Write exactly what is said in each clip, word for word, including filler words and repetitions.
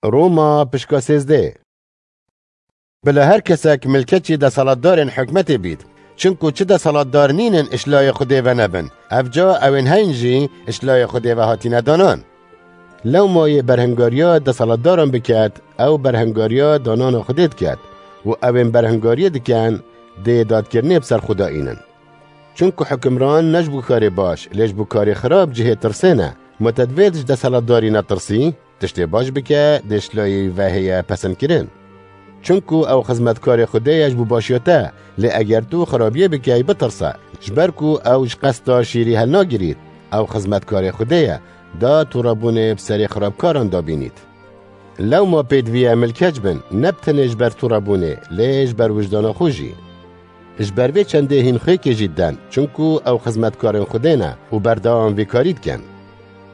Roma pişka sêzdeh. Bila her kesek milkeçî deselatdarên hikmetê bît. Çinku çi deselatdar nînin işlayê Xwedê ve nebin. Ev ca ewên heyn jî işlayê Xwedê ve hatine danan. Lewma yê berhingariya deselatdaran biket, ew berhingariya danana Xwedê diket û ewên berhingariyê diken, dê dadkirinê bi ser xwe de înin. Çunku hukimran ne ji bo karê baş, lê ji bo karê xirab cihê tirsê ne. Ma te divêt ji deselatdarî netirsî? Tiştê baş bike, dê ji layê wî ve heye pesendkirin. Çunku ew xizmetkarê Xwedê ye ji bo başiya te, lê eger tu xirabiyê bikey, bitirse, ji ber ku ew ji qesta şîrî helnagirît. Ew xizmetkarê Xwedê ye, da tûrebûnê bi serê xirabkaran dabînît. Lewma pêdivî ye milkeç bin, ne bi tenê ji ber tûrebûnê, lê ji ber wijdana xwe jî. Ji ber vê çendê hîn xwêkê jî diden, çunku ew xizmetkarên Xwedê ne û berdewam vê karî dikin.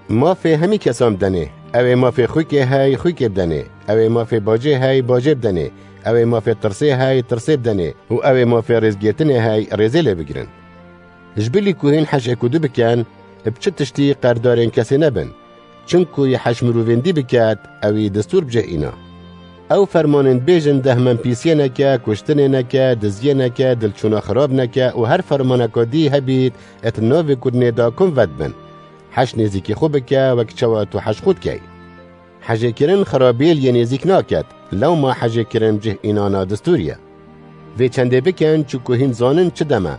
Mafê hemî kesan bidenê, ew ê mafê xwîkê hey xwîkê bidenê, ew ê mafê bacê hey bacê bidenê, ew ê mafê tirsê hey tirsê bidenê û ew ê mafê rêzgirtinê hey rêzê lê bigirin. Ji bilî ku hîn heşê ku du bikin, bi çi tiştî qerdarên kesê nebin. Çinku yê heş mirovên dî biket, ew î destûr bi cih îna. Ew fermanên dibêjin dehmenpîsiyê neke, kuştinê neke, diziyê neke, dilçûna xirab neke û her fermaneka dî hebît, et navê kurdinê da kum vedbin. Heş nêzîkî xwe bike, wek çawa tu heş xwe dikey. Hejêkirin xirabiyê li yê nêzîk naket, lewma hejêkirin cih înana destûrî ye. Vê çendê bikin, çiku hîn zanin çi dem e.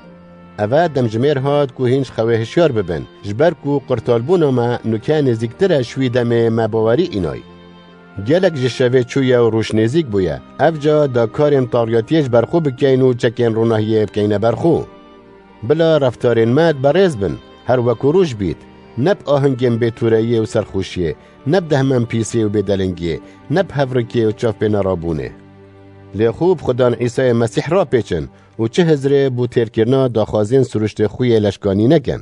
Eve demjimêr hat ku hîn ji xewê hişyar bibin, ji ber ku qurtalbûna me nuke nêzîktir e ji wî demê me bawerî înay. Gelek ji şevê çûye û rûş nêzîk bûye. Ev ca da karên tariyatiyê ji ber xwe bikeyn û çekên ronahiyê bikeyne ber xwe. Bila reftarên me berêz bin, her weku roj bît, ne bi ahingên bêtûreyiyê û serxweşiyê, ne bi dehmenpîsiyê û bêdelingiyê, ne bi hevrikiyê û çavpênerabûnê. Lê xwe bi Xudan Îsayê Mesîh rapêçin û çi hizrê bo têrkirina daxwazên siruştê xwe yê leşkanî nekin.